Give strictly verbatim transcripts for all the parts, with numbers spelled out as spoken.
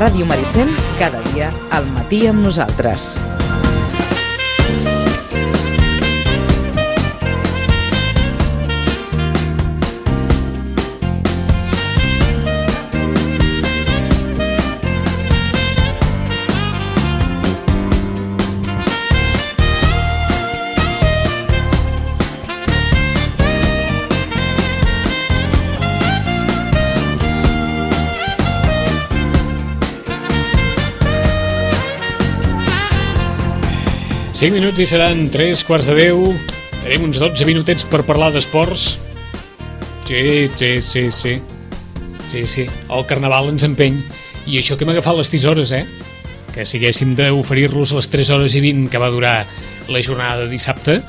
Ràdio Maricel, cada dia al matí amb nosaltres. cinc minuts i seran tres quarts de deu. Tenim uns dotze minutets per parlar d'esports. Sí, sí, sí, sí. Sí, sí. El carnaval ens empeny. I això que hem agafat les tisores, eh? Que si haguéssim d'oferir-los les tres hores i vint que va durar la jornada de dissabte,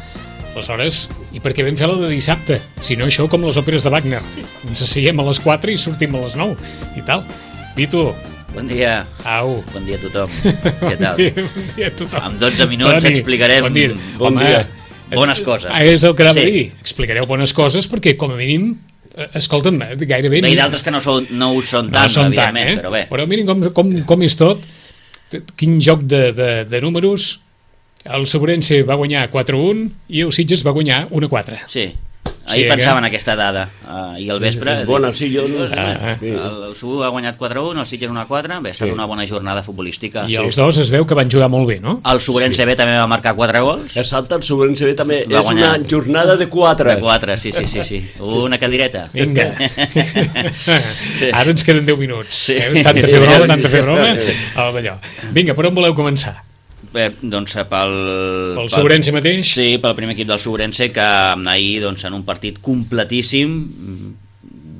aleshores, i per què vam fer la de dissabte? Si no, això com les òperes de Wagner. Ens asseiem a les quatre i sortim a les nou. I tal. Vitu. Bon dia. Au. Bon dia a tothom. Què tal? Bon dia, bon dia a tothom. En dotze minuts Toni, explicarem bon dia. Bon Home, dia. bones coses. És el que anava sí. a dir. Explicareu bones coses perquè, com a mínim, escolta'm, gairebé... Bé, i d'altres que no, són, no ho són no tant, són evidentment, tant, eh? però bé. Però mirin com, com, com és tot. Quin joc de, de, de números. El Sobrense va guanyar quatre a un i el Sitges va guanyar un a quatre. Sí. Ahir sí, pensava en aquesta dada uh, i al vespre bona, sí, jo no... ah, el, el Subu ha guanyat quatre a un, el Sitges un a quatre. Bé, ha estat sí. una bona jornada futbolística. I sí. els dos es veu que van jugar molt bé, no? El Sobrense sí. B també va marcar quatre gols. Exacte, el Sobrense B també va és guanyar. Una jornada de quatre. De quatre, sí, sí, sí, sí. Una cadireta. Vinga. sí. Ara ens queden deu minuts. Sí. Eh? Tanta fer broma, tanta fer broma. D'allò. Vinga, per on voleu començar? Bé, doncs pel... Pel Sobrense mateix? Sí, pel primer equip del Sobrense, que ahir doncs, en un partit completíssim,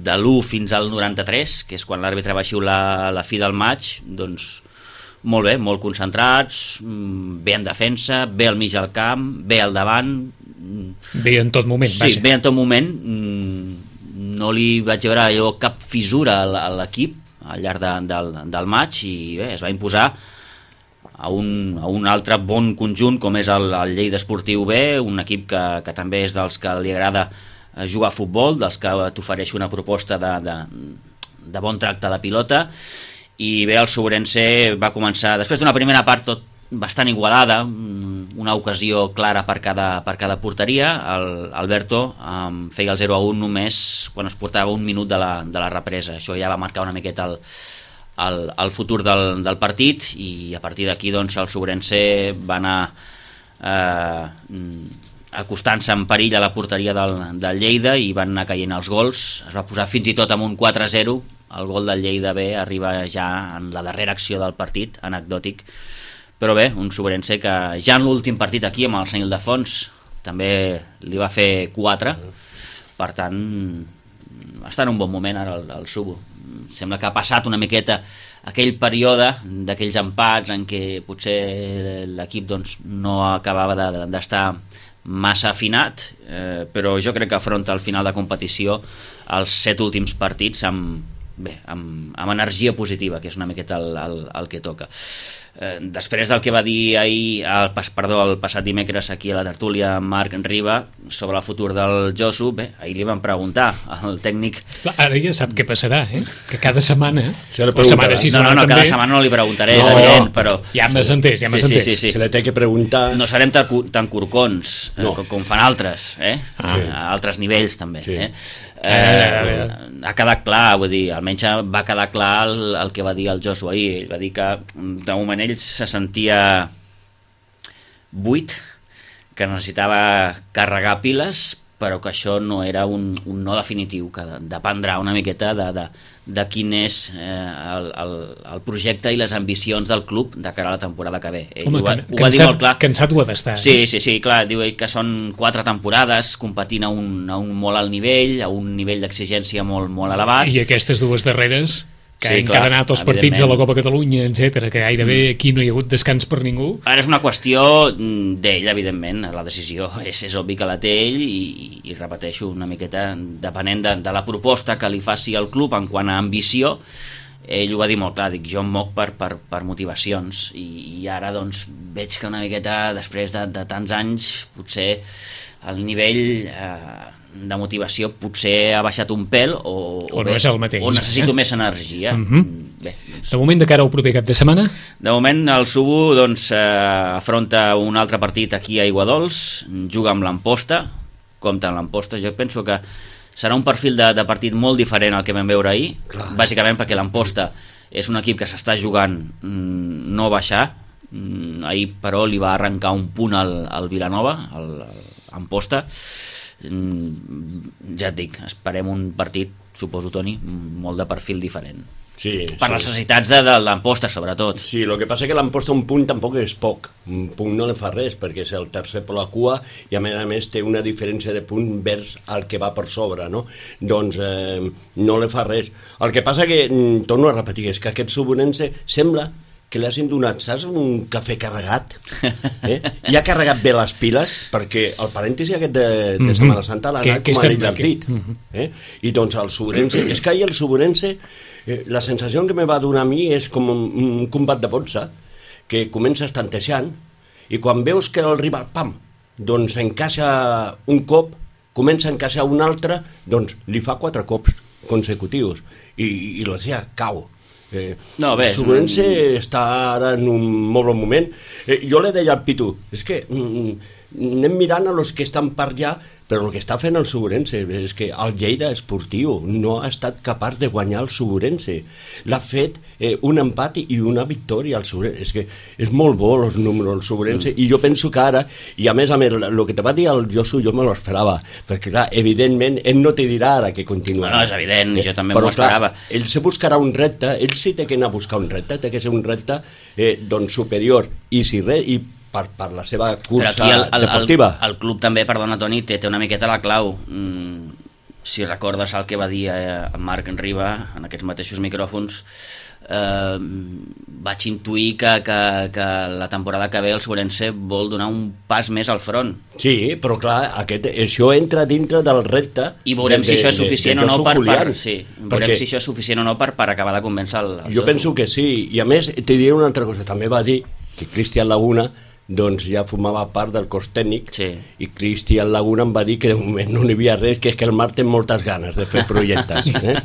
de l'u fins al noranta-tres, que és quan l'àrbitre va xiular la fi del maig, doncs molt bé, molt concentrats, bé en defensa, bé al mig del camp, bé al davant. Bé en tot moment, sí, vaja. bé en tot moment. No li vaig veure jo cap fissura a l'equip al llarg de, del, del maig i bé, es va imposar a un, a un altre bon conjunt com és el, el Lleida Esportiu B, un equip que, que també és dels que li agrada jugar a futbol, dels que t'ofereix una proposta de, de, de bon tracte a la pilota. I bé, el Sobrense va començar, després d'una primera part tot bastant igualada, una ocasió clara per cada, per cada porteria. El Alberto um, feia el zero a un només quan es portava un minut de la, de la represa. Això ja va marcar una miqueta el El, el futur del, del partit i a partir d'aquí doncs, el Sobrense va anar eh, acostant-se en perill a la porteria del, del Lleida i van anar caient els gols. Es va posar fins i tot amb un quatre a zero. El gol del Lleida B arriba ja en la darrera acció del partit, anecdòtic, però bé, un Sobrense que ja en l'últim partit aquí amb el Sant Ildefons també li va fer quatre, per tant està en un bon moment ara el, el Subo. Sembla que ha passat una miqueta aquell període d'aquells empats en què potser l'equip doncs, no acabava de, d'estar massa afinat, eh, però jo crec que afronta al final de competició els set últims partits amb, bé, amb, amb energia positiva, que és una miqueta el, el, el que toca. Eh, després del que va dir ahir, el, perdó, el passat dimecres aquí a la tertúlia Marc Riba sobre el futur del Josu, bé, ahir li van preguntar al tècnic... Ara ja sap què passarà, eh? Que cada setmana... Se le setmana sí, no, no, no, també... cada setmana no li preguntaré, no, és evident, però... Ja m'has entès, ja m'has sí, entès. Sí, sí, sí. Se le té que preguntar... No serem tan, tan corcons no. eh, com, com fan altres, eh? Ah, sí. A altres nivells també, sí. eh? Eh, ha quedat clar, vull dir, almenys va quedar clar el, el que va dir el Josu ahir. Ell va dir que de moment ell se sentia buit, que necessitava carregar piles, però que això no era un, un no definitiu, que dependrà una miqueta de, de, de quin és eh, el, el, el projecte i les ambicions del club de cara a la temporada que ve. Ell Home, ho va, can, ho va cansat, dir molt clar. Cansat ho ha d'estar. Sí, sí, sí, clar, diu ell que són quatre temporades competint a un, a un molt alt nivell, a un nivell d'exigència molt, molt elevat. I aquestes dues darreres que sí, han encadenat els partits de la Copa Catalunya, etcètera, que gairebé aquí no hi ha hagut descans per ningú. Ara és una qüestió d'ell, evidentment, la decisió és, és obvi que la té ell i, i repeteixo una miqueta, depenent de, de la proposta que li faci el club en quant a ambició. Ell ho va dir molt clar, dic, jo em moc per, per, per motivacions i, i ara doncs veig que una miqueta després de, de tants anys potser el nivell eh, de motivació potser ha baixat un pèl o, o, o no és el mateix, o necessito eh? més energia. Uh-huh. bé, doncs... De moment, de cara al proper cap de setmana? De moment el Subo doncs, eh, afronta un altre partit aquí a Aiguadols, juga amb l'Amposta, compta amb l'Amposta, jo penso que serà un perfil de, de partit molt diferent al que vam veure ahir, clar. Bàsicament perquè l'Amposta és un equip que s'està jugant mm, no baixar, mm, ahir però li va arrencar un punt al, al Vilanova, al, al Amposta, mm, ja et dic, esperem un partit, suposo Toni, molt de perfil diferent. Sí, per sí. les necessitats de, de l'Amposta, sobretot. Sí, el que passa és que l'Amposta un punt tampoc és poc. Un punt no li fa res, perquè és el tercer per la cua i a més a més té una diferència de punt vers el que va per sobre, no? Doncs eh, no li fa res. El que passa que, torno a repetir, és que aquest Subonense sembla que li hagin donat, saps, un cafè carregat, eh? I ha carregat bé les piles, perquè el parèntesi aquest de, de Setmana Santa l'ha anat com a divertit. Eh? I doncs el Subonense, és que ahir el Subonense, eh, la sensació que me va donar a mi és com un, un combat de boxa, que comences tantejant, i quan veus que el rival, pam, doncs encaixa un cop, comença a encaixar un altre, doncs li fa quatre cops consecutius, i, i la seva cau. Eh, no, bé, el Subonense mm, està ara en un molt bon moment. Eh, jo le deia al Pitu, és que mm, anem mirant a los que estan per allà, però el que està fent el Subonense és que el Lleida esportiu no ha estat capaç de guanyar el Subonense. L'ha fet eh, un empat i una victòria al Subonense. És que és molt bo els números del Subonense, mm. i jo penso que ara, i a més a més, el que te va dir el Josu jo me l'esperava, perquè clar, evidentment ell no te dirà ara que continuarà. No, és evident, eh, jo també m'ho esperava. Ell se buscarà un repte, ell sí té que anar a buscar un repte, té que ser un repte eh, doncs superior, i si res, i Per, per la seva cursa el, el, deportiva. El, el club també, perdona Toni, té, té una miqueta la clau. Mm, si recordes el que va dir eh, Marc Riba en aquests mateixos micròfons, eh, vaig intuir que, que, que la temporada que ve el Subonense vol donar un pas més al front. Sí, però clar, aquest, això entra dintre del repte. I veurem de, si això és suficient de, de, de o no per, per, sí, veurem perquè si això és suficient o no per, per acabar de convèncer el, el jo penso que sí, i a més te diré una altra cosa, també va dir que Cristian Laguna doncs ja formava part del cos tècnic, sí. I Cristian Laguna em va dir que de moment no n'hi havia res, que és que el Marc té moltes ganes de fer projectes. Eh?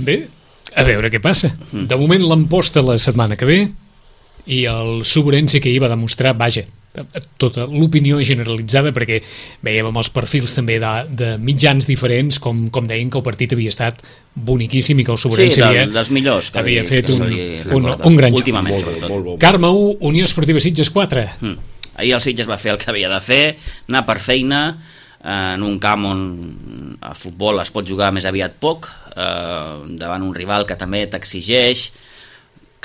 Bé, a veure què passa. De moment l'Amposta la setmana que ve i el Subonense que hi va demostrar, vaja, tota l'opinió generalitzada, perquè veiem amb els perfils també de, de mitjans diferents, com, com deien que el partit havia estat boniquíssim i que el Subonense sí, havia, dels millors que havia li, fet que un, un, un, un gran joc. Últimament, molt bo, molt bo. Carme u, Unió Esportiva Sitges quatre. Mm. Ahir el Sitges va fer el que havia de fer, anar per feina, en un camp on el futbol es pot jugar més aviat poc, eh, davant un rival que també t'exigeix,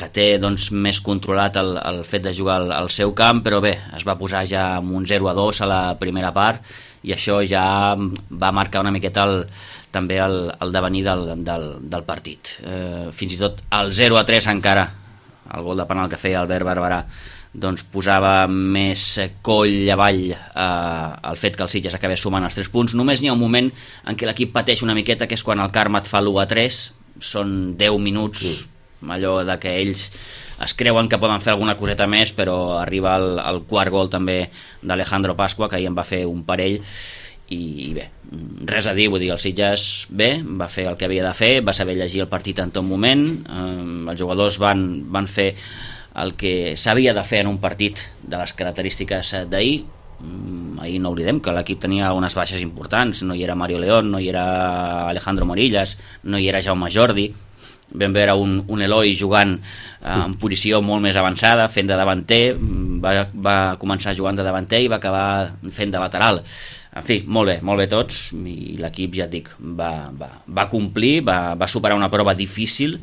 que té doncs, més controlat el, el fet de jugar al, al seu camp, però bé, es va posar ja amb un zero a dos a la primera part i això ja va marcar una miqueta el, també el, el devenir del, del, del partit. Eh, fins i tot el zero a tres encara, el gol de penal que feia Albert Barberà, doncs posava més coll avall eh, el fet que el Sitges acabés sumant els tres punts. Només n'hi ha un moment en què l'equip pateix una miqueta, que és quan el Carme et fa l'u a tres, són deu minuts... Mm. allò de que ells es creuen que poden fer alguna coseta més, però arriba el, el quart gol també d'Alejandro Pasqua, que ahir en va fer un parell i, i bé, res a dir, vull dir, el Sitges bé, va fer el que havia de fer, va saber llegir el partit en tot moment, eh, els jugadors van, van fer el que s'havia de fer en un partit de les característiques d'ahir. Ahir no oblidem que l'equip tenia unes baixes importants, no hi era Mario León, no hi era Alejandro Morillas, no hi era Jaume Jordi. Vam veure un, un Eloi jugant eh, en posició molt més avançada, fent de davanter, va, va començar jugant de davanter i va acabar fent de lateral. En fi, molt bé, molt bé tots, i l'equip, ja et dic, va, va, va complir, va, va superar una prova difícil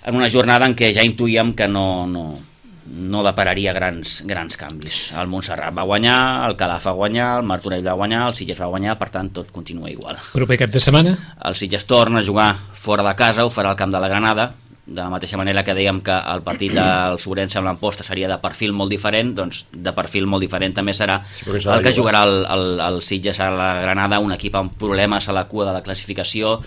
en una jornada en què ja intuïem que no, no, no depararia grans, grans canvis. El Montserrat va guanyar, el Calaf va guanyar, el Martorell va guanyar, el Sitges va guanyar, per tant tot continua igual. Proper cap de setmana? El Sitges torna a jugar fora de casa, ho farà al camp de la Granada, de la mateixa manera que dèiem que el partit del Sobrense amb l'Amposta seria de perfil molt diferent, doncs de perfil molt diferent també serà sí, el que jugarà el, el, el Sitges a la Granada, un equip amb problemes a la cua de la classificació,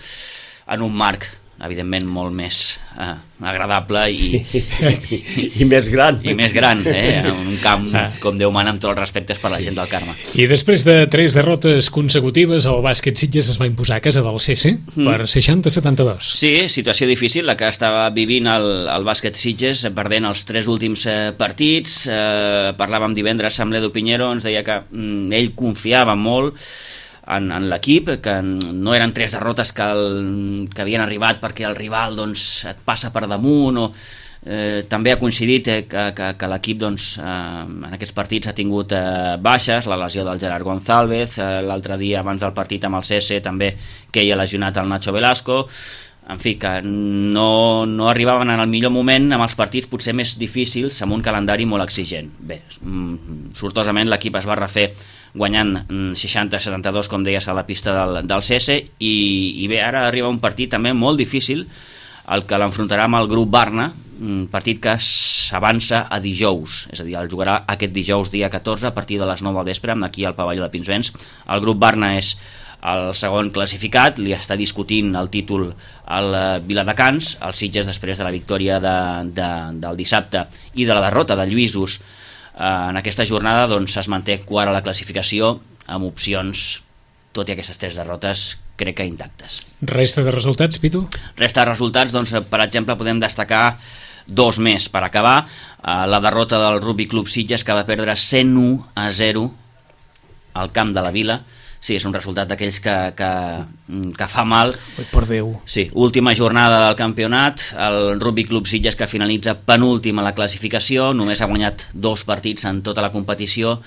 en un marc evidentment molt més eh, agradable i, I, i més gran. i més gran, eh? En un camp, com Déu mana, amb tots els respectes per la gent del Carme. I després de tres derrotes consecutives, el bàsquet Sitges es va imposar a casa del C C mm. per seixanta a setanta-dos. Sí, situació difícil la que estava vivint el, el bàsquet Sitges, perdent els tres últims eh, partits. Eh, parlàvem divendres amb l'Edu Piñero, ens deia que mm, ell confiava molt en, en l'equip, que no eren tres derrotes que, el, que havien arribat perquè el rival doncs, et passa per damunt, o eh, també ha coincidit eh, que, que, que l'equip doncs, eh, en aquests partits ha tingut eh, baixes, la lesió del Gerard González, eh, l'altre dia abans del partit amb el C S també que hi ha lesionat el Nacho Velasco, en fi, que no, no arribaven en el millor moment amb els partits potser més difícils, amb un calendari molt exigent. Bé, sortosament l'equip es va refer guanyant seixanta a setanta-dos, com deies, a la pista del, del C S, i, i bé, ara arriba un partit també molt difícil, el que l'enfrontarà amb el grup Barna, un partit que s'avança a dijous, és a dir, el jugarà aquest dijous dia catorze a partir de les nou del vespre, aquí al pavelló de Pinsbens. El grup Barna és el segon classificat, li està discutint el títol al Viladecans, el Sitges després de la victòria de, de, del dissabte i de la derrota de Lluïsos en aquesta jornada, doncs es manté quart a la classificació amb opcions, tot i aquestes tres derrotes, crec que intactes. Resta de resultats, Pitu? Resta de resultats, doncs, per exemple, podem destacar dos més per acabar. La derrota del Rugby Club Sitges, que va perdre cent u a zero al camp de la Vila. Sí, és un resultat d'aquells que, que, que fa mal. Oi, per Déu. Sí, última jornada del campionat, el Rugby Club Sitges, que finalitza penúltim a la classificació, només ha guanyat dos partits en tota la competició,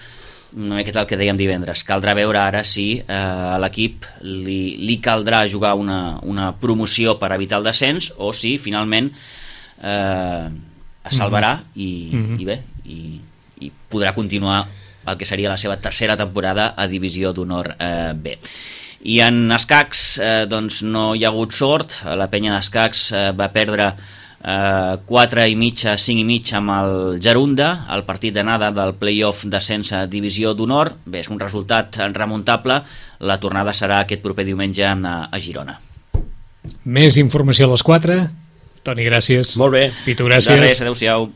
una miqueta el que dèiem divendres. Caldrà veure ara si eh, a l'equip li, li caldrà jugar una, una promoció per evitar el descens, o si finalment eh, es salvarà i, mm-hmm. i bé, i, i podrà continuar el que seria la seva tercera temporada a Divisió d'Honor eh, B. I en escacs eh, doncs no hi ha hagut sort, la penya d'escacs eh, va perdre eh, quatre i mitja, cinc i mitja amb el Gerunda, el partit d'anada del play-off d'ascens a Divisió d'Honor. Bé, és un resultat remuntable, la tornada serà aquest proper diumenge a, a Girona. Més informació a les quatre. Toni, gràcies. Molt bé. Pitu, gràcies. De res, adeu-siau.